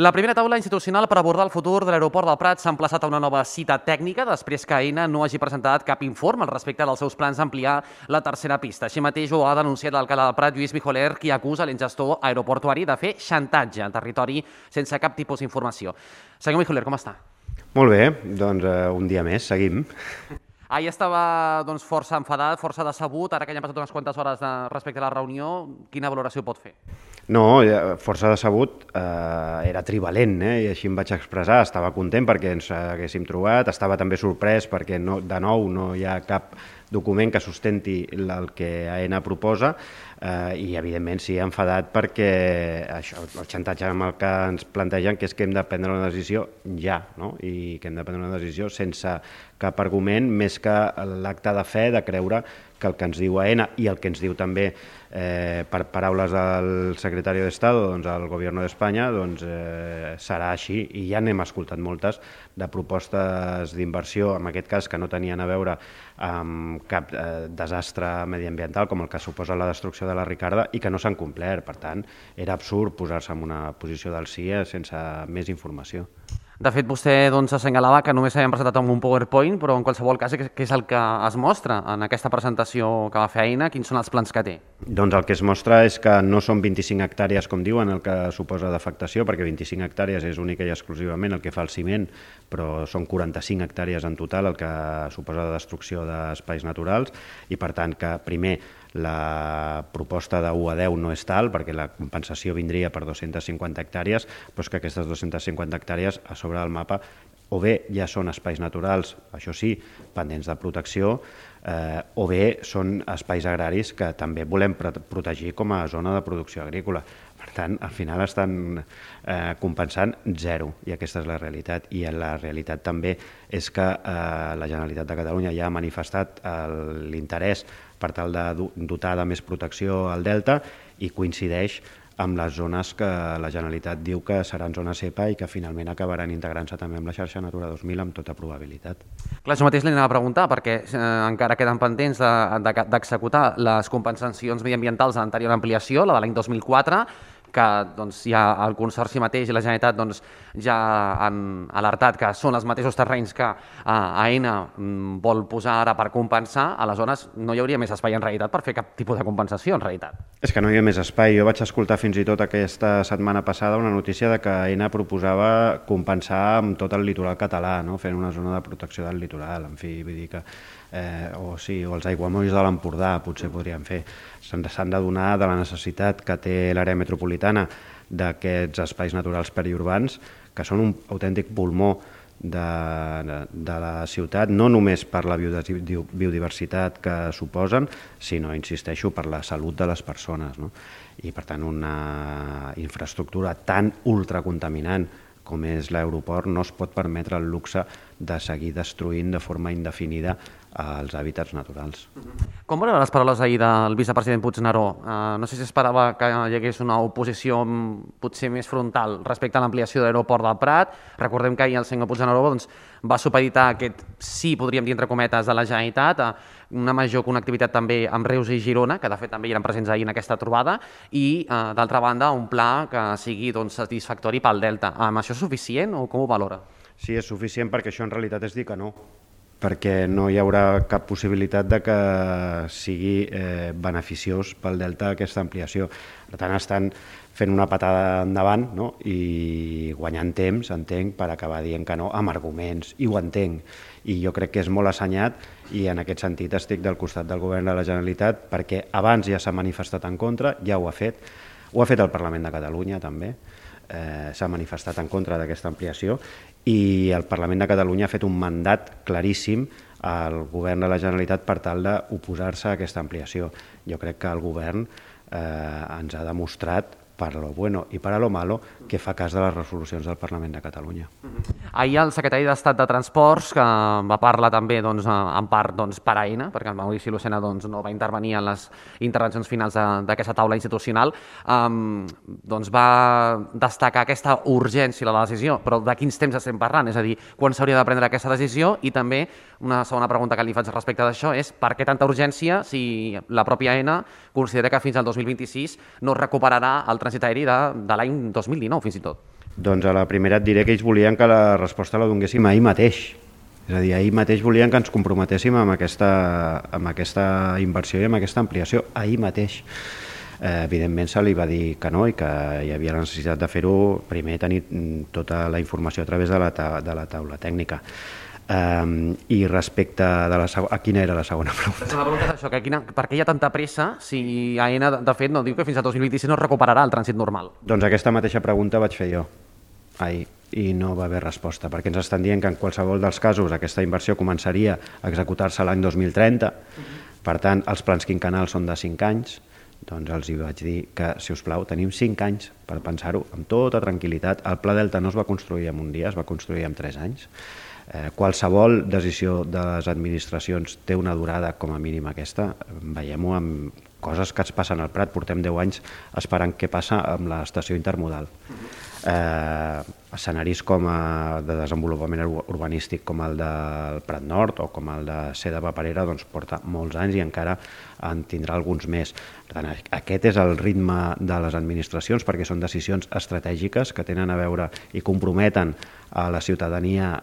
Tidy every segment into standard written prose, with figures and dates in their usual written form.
La primera taula institucional per abordar el futur de l'aeroport del Prat s'ha emplaçat a una nova cita tècnica després que Aena no hagi presentat cap informe al respecte dels seus plans d'ampliar la tercera pista. Així mateix ho ha denunciat l'alcalde del Prat, Lluís Mijoler, qui acusa l'ingestor aeroportuari de fer xantatge en territori sense cap tipus d'informació. Senyor Mijoler, com està? Molt bé, doncs un dia més, seguim. Ahir estava força enfadat, força decebut, ara que ja han passat unes quantes hores respecte a la reunió, quina valoració pot fer? No, força decebut, era trivalent, i així em vaig expressar. Estava content perquè ens haguéssim trobat, estava també sorprès perquè de nou no hi ha cap document que sustenti el que Aena proposa i, evidentment, sí, enfadat perquè això, el xantatge amb el que ens plantegen que és que hem de prendre una decisió ja, no? I que hem de prendre una decisió sense cap argument més que l'acte de fe de creure que el que ens diu Aena i el que ens diu també, per paraules del secretari d'Estado, el Gobierno d'Espanya, serà així. I ja n'hem escoltat moltes de propostes d'inversió, en aquest cas que no tenien a veure amb cap desastre mediambiental com el que suposa la destrucció de la Ricarda i que no s'han complert. Per tant, era absurd posar-se en una posició del sí sense més informació. De fet, vostè assenyalava que només s'havien presentat amb un PowerPoint, però en qualsevol cas, què és el que es mostra en aquesta presentació que va fer Aena? Quins són els plans que té? Doncs el que es mostra és que no són 25 hectàrees, com diuen, el que suposa d'afectació, perquè 25 hectàrees és única i exclusivament el que fa el ciment, però són 45 hectàrees en total el que suposa de destrucció d'espais naturals i, per tant, que primer la proposta de 1 a 10 no és tal, perquè la compensació vindria per 250 hectàrees, però és que aquestes 250 hectàrees a sobre del mapa o bé ja són espais naturals, això sí, pendents de protecció, o bé són espais agraris que també volem protegir com a zona de producció agrícola. Per tant, al final estan compensant zero, i aquesta és la realitat. I la realitat també és que la Generalitat de Catalunya ja ha manifestat l'interès per tal de dotar de més protecció al delta i coincideix amb les zones que la Generalitat diu que seran zones EPA i que finalment acabaran integrant-se també amb la xarxa Natura 2000 amb tota probabilitat. Clar, això mateix li anava a preguntar, perquè encara queden pendents d'executar les compensacions mediambientals de l'anterior ampliació, la de l'any 2004, que ja el Consorci mateix i la Generalitat ja han alertat que són els mateixos terrenys que Aena vol posar ara per compensar. Aleshores, no hi hauria més espai en realitat per fer cap tipus de compensació en realitat. És que no hi ha més espai. Jo vaig escoltar fins i tot aquesta setmana passada una notícia de que Aena proposava compensar amb tot el litoral català, fent una zona de protecció del litoral, en fi, vull dir que o els aiguamolls de l'Empordà potser podrien fer. S'han de donar de la necessitat que té l'àrea metropolitana d'aquests espais naturals periurbans, que són un autèntic pulmó de la ciutat, no només per la biodiversitat que suposen, sinó, insisteixo, per la salut de les persones. I, per tant, una infraestructura tan ultracontaminant com és l'aeroport no es pot permetre el luxe de seguir destruint de forma indefinida els hàbitats naturals. Com veurà les paraules ahir del vicepresident Puigneró? No sé si esperava que hi hagués una oposició potser més frontal respecte a l'ampliació de l'aeroport del Prat. Recordem que ahir el senyor Puigneró va supeditar aquest sí, podríem dir entre cometes, de la Generalitat a una major connectivitat també amb Reus i Girona, que de fet també eren presents ahir en aquesta trobada, i d'altra banda un pla que sigui satisfactori pel Delta. Això és suficient o com ho valora? Sí, és suficient perquè això en realitat és dir que no, perquè no hi haurà cap possibilitat de que sigui beneficiós pel Delta aquesta ampliació. Per tant, estan fent una patada endavant i guanyant temps, entenc, per acabar dient que no, amb arguments, i ho entenc. I jo crec que és molt assenyat i en aquest sentit estic del costat del govern de la Generalitat perquè abans ja s'ha manifestat en contra, ja ho ha fet el Parlament de Catalunya també, s'ha manifestat en contra d'aquesta ampliació i el Parlament de Catalunya ha fet un mandat claríssim al govern de la Generalitat per tal d'oposar-se a aquesta ampliació. Jo crec que el govern ens ha demostrat per lo bueno i per a lo malo que fa cas de les resolucions del Parlament de Catalunya. Ahir el secretari d'Estat de Transports, que va parlar també en part per Aena, perquè el Maurici Lucena no va intervenir en les intervencions finals d'aquesta taula institucional, va destacar aquesta urgència de la decisió. Però de quins temps estem parlant? És a dir, quan s'hauria de prendre aquesta decisió? I també una segona pregunta que li faig respecte d'això és per què tanta urgència si la pròpia Aena considera que fins al 2026 no es recuperarà el trànsit aeri de l'any 2019, fins i tot? Doncs a la primera et diré que ells volien que la resposta la donéssim ahir mateix. És a dir, ahir mateix volien que ens comprometéssim amb aquesta inversió i amb aquesta ampliació, ahir mateix. Evidentment se li va dir que no i que hi havia la necessitat de fer-ho, primer tenir tota la informació a través de la taula tècnica. I respecte a quina era la segona pregunta? La pregunta és això, per què hi ha tanta pressa si AENA, de fet, no diu que fins a 2026 no recuperarà el trànsit normal? Doncs aquesta mateixa pregunta vaig fer jo ahir i no va haver resposta, perquè ens estan dient que en qualsevol dels casos aquesta inversió començaria a executar-se l'any 2030, per tant els plans quinquennals són de 5 anys, doncs els hi vaig dir que, si us plau, tenim 5 anys per pensar-ho amb tota tranquil·litat. El Pla Delta no es va construir en un dia, es va construir en 3 anys. Qualsevol decisió de les administracions té una durada com a mínim aquesta. Veiem-ho amb coses que ens passen al Prat. Portem 10 anys esperant què passa amb l'estació intermodal. Escenaris de desenvolupament urbanístic com el del Prat Nord o com el de Ser de Paperera doncs porta molts anys i encara en tindrà alguns més. Per tant, aquest és el ritme de les administracions, perquè són decisions estratègiques que tenen a veure i comprometen a la ciutadania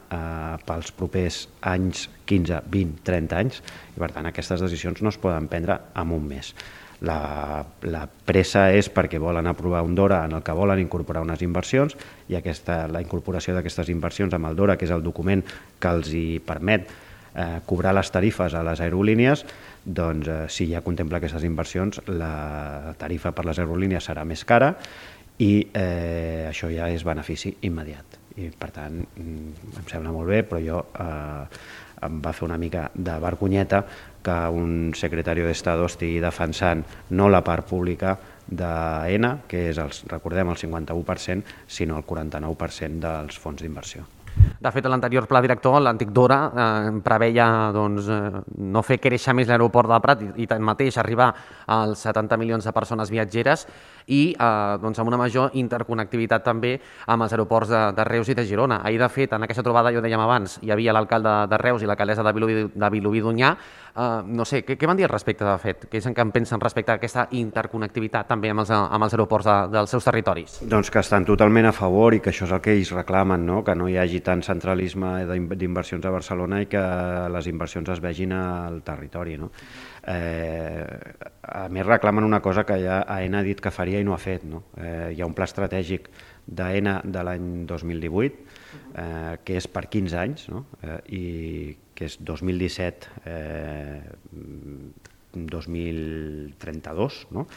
pels propers anys, 15, 20, 30 anys, i per tant aquestes decisions no es poden prendre en un mes. La pressa és perquè volen aprovar un DORA en el que volen incorporar unes inversions i la incorporació d'aquestes inversions amb el DORA, que és el document que els hi permet cobrar les tarifes a les aerolínies, doncs si ja contempla aquestes inversions, la tarifa per les aerolínies serà més cara i això ja és benefici immediat. I per tant, em sembla molt bé, però jo em va fer una mica de vergonyeta que un secretari d'Estado estigui defensant no la part pública d'AENA, que és, recordem, el 51%, sinó el 49% dels fons d'inversió. De fet, l'anterior pla director, l'antic DORA, preveia no fer créixer més l'aeroport del Prat i tanmateix arribar als 70 milions de persones viatgeres i amb una major interconnectivitat també amb els aeroports de Reus i de Girona. Ahir, de fet, en aquesta trobada, ja ho dèiem abans, hi havia l'alcalde de Reus i l'alcaldessa de Vilobí d'Onyar. No sé, què van dir al respecte, de fet? Què és que en pensen respecte a aquesta interconnectivitat també amb els aeroports dels seus territoris? Doncs que estan totalment a favor i que això és el que ells reclamen, no? Que no hi hagi tant centralisme d'inversions a Barcelona i que les inversions es vegin al territori, no? A més, reclamen una cosa que ja AENA ha dit que faria i no ha fet, no? Hi ha un pla estratègic d'AENA de l'any 2018 que és per 15 anys, no? I que és 2017-2032, no?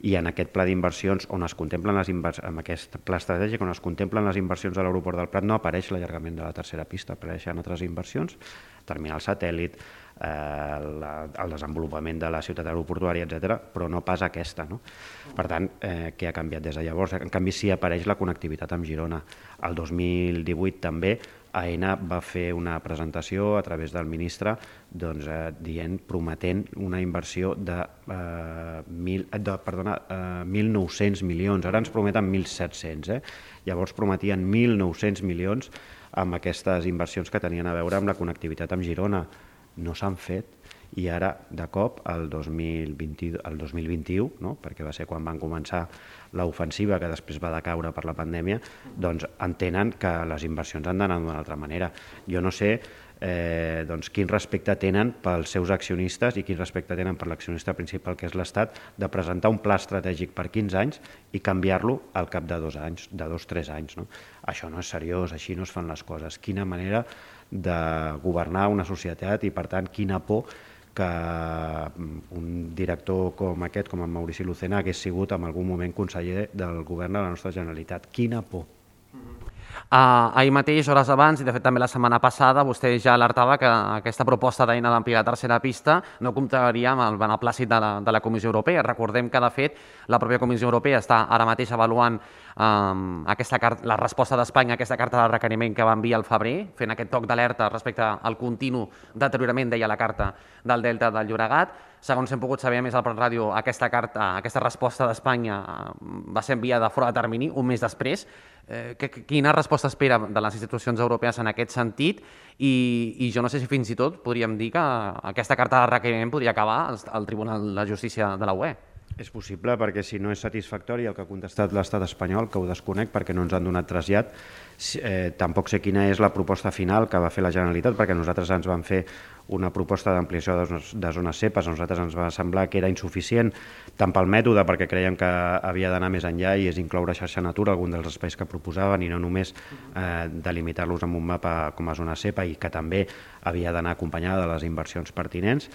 I en aquest pla d'inversions on es contemplen amb aquest pla estratègic on es contemplen les inversions de l'aeroport del Prat no apareix l'allargament de la tercera pista, apareixen altres inversions, terminal satèl·lit, el desenvolupament de la ciutat aeroportuària, etc., però no pas aquesta, no? Per tant, què ha canviat des de llavors? En canvi, sí apareix la connectivitat amb Girona. El 2018 també AENA va fer una presentació a través del ministre prometent una inversió de 1.900 milions. Ara ens prometen 1.700. Llavors prometien 1.900 milions amb aquestes inversions que tenien a veure amb la connectivitat amb Girona. No s'han fet i ara, de cop, el 2021, no? Perquè va ser quan van començar l'ofensiva que després va decaure per la pandèmia, doncs entenen que les inversions han d'anar d'una altra manera. Jo no sé quin respecte tenen pels seus accionistes i quin respecte tenen per l'accionista principal, que és l'Estat, de presentar un pla estratègic per 15 anys i canviar-lo al cap de 2 anys, de 2-3 anys, no? Això no és seriós, així no es fan les coses. Quina manera de governar una societat i, per tant, quina por que un director com aquest, com en Maurici Lucena, hagués sigut en algun moment conseller del govern de la nostra Generalitat. Quina por. Ahir mateix, hores abans, i de fet també la setmana passada, vostè ja alertava que aquesta proposta d'AENA d'ampliar la tercera pista no comptaria amb el beneplàcit de la Comissió Europea. Recordem que, de fet, la pròpia Comissió Europea està ara mateix avaluant la resposta d'Espanya a aquesta carta de requeriment que va enviar al febrer, fent aquest toc d'alerta respecte al continu deteriorament, deia la carta, del Delta del Llobregat. Segons hem pogut saber, a més, al Prat Ràdio, aquesta resposta d'Espanya va ser enviada fora de termini, un mes després. Quina resposta espera de les institucions europees en aquest sentit? I jo no sé si fins i tot podríem dir que aquesta carta de requeriment podria acabar al Tribunal de Justícia de la UE. És possible, perquè si no és satisfactori el que ha contestat l'estat espanyol, que ho desconec perquè no ens han donat trasllat, tampoc sé quina és la proposta final que va fer la Generalitat, perquè nosaltres ens van fer una proposta d'ampliació de zones CEPAs, a nosaltres ens va semblar que era insuficient, tant pel mètode, perquè creiem que havia d'anar més enllà i és incloure xarxa natura, algun dels espais que proposaven, i no només delimitar-los amb un mapa com a zona CEPA, i que també havia d'anar acompanyada de les inversions pertinents.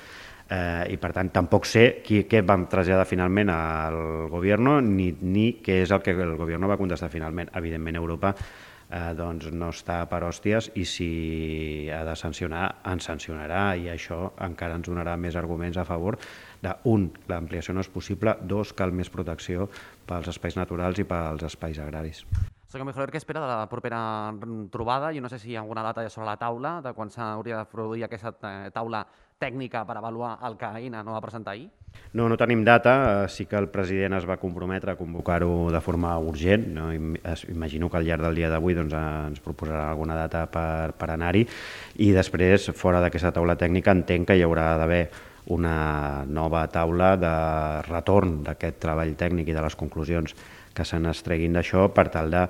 I per tant tampoc sé què vam traslladar finalment al govern ni què és el que el govern va contestar finalment. Evidentment Europa doncs no està per hòsties i si ha de sancionar, ens sancionarà, i això encara ens donarà més arguments a favor de, un, l'ampliació no és possible, dos, cal més protecció pels espais naturals i pels espais agraris. Senyor Mijoler, què espera de la propera trobada? Jo no sé si hi ha alguna data ja sobre la taula, de quan s'hauria de produir aquesta taula tècnica per avaluar el que Aena no va presentar ahir? No tenim data, sí que el president es va comprometre a convocar-ho de forma urgent, no? Imagino que al llarg del dia d'avui doncs, ens proposarà alguna data per anar-hi, i després, fora d'aquesta taula tècnica, entenc que hi haurà d'haver una nova taula de retorn d'aquest treball tècnic i de les conclusions que se n'estreguin d'això per tal de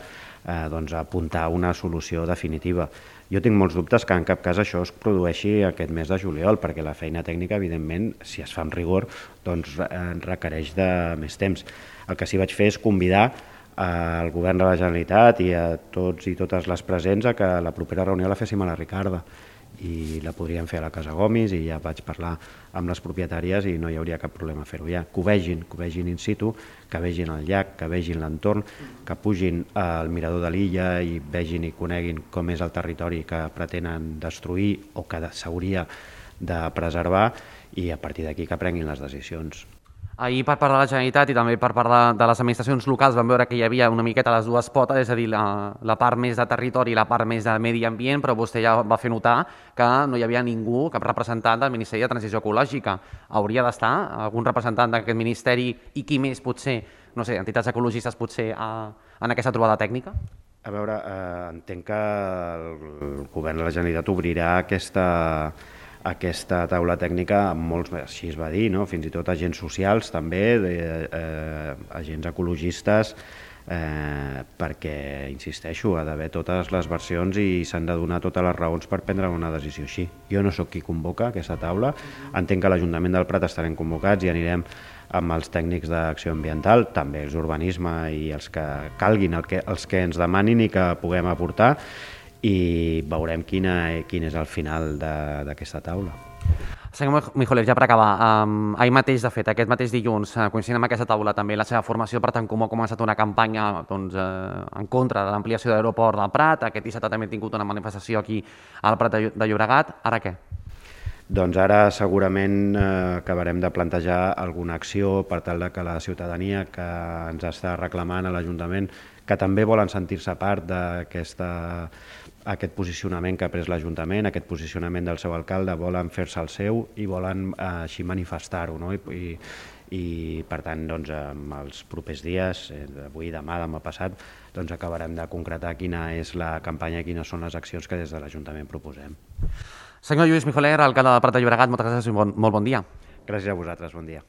apuntar una solució definitiva. Jo tinc molts dubtes que en cap cas això es produeixi aquest mes de juliol, perquè la feina tècnica, evidentment, si es fa amb rigor, doncs requereix de més temps. El que sí vaig fer és convidar al govern de la Generalitat i a tots i totes les presents a que la propera reunió la féssim a la Ricarda, i la podríem fer a la Casa Gomis, i ja vaig parlar amb les propietàries i no hi hauria cap problema a fer-ho ja. Que ho vegin in situ, que vegin el llac, que vegin l'entorn, que pugin al mirador de l'illa i vegin i coneguin com és el territori que pretenen destruir o que s'hauria de preservar, i a partir d'aquí que prenguin les decisions. Ahir, per part de la Generalitat i també per part de les administracions locals, vam veure que hi havia una miqueta les dues potes, és a dir, la part més de territori i la part més de medi ambient, però vostè ja va fer notar que no hi havia ningú, cap representant del Ministeri de Transició Ecològica. Hauria d'estar algun representant d'aquest ministeri, i qui més potser, no sé, entitats ecologistes potser, en aquesta trobada tècnica? A veure, entenc que el govern de la Generalitat obrirà aquesta taula tècnica amb molts, així es va dir, no? Fins i tot agents socials també, agents ecologistes, perquè, insisteixo, ha d'haver totes les versions i s'han de donar totes les raons per prendre una decisió així. Jo no sóc qui convoca aquesta taula, entenc que l'Ajuntament del Prat estarem convocats i anirem amb els tècnics d'acció ambiental, també els d'urbanisme i els que calguin, els que ens demanin i que puguem aportar, i veurem quin és el final d'aquesta taula. Senyor Mijoler, ja per acabar, ahir mateix, de fet, aquest mateix dilluns, coincidint amb aquesta taula, també la seva formació per Tant Comú ha començat una campanya en contra de l'ampliació de l'aeroport del Prat. Aquest dissabte també ha tingut una manifestació aquí al Prat de Llobregat. Ara què? Doncs ara segurament acabarem de plantejar alguna acció per tal que la ciutadania que ens està reclamant a l'Ajuntament, que també volen sentir-se part d'aquest posicionament que ha pres l'Ajuntament, aquest posicionament del seu alcalde, volen fer-se el seu i volen així manifestar-ho, no? I per tant, doncs, en els propers dies, avui, demà, demà passat, doncs acabarem de concretar quina és la campanya i quines són les accions que des de l'Ajuntament proposem. Senyor Lluís Mijoler, alcalde del Prat de Llobregat, moltes gràcies i molt bon dia. Gràcies a vosaltres, bon dia.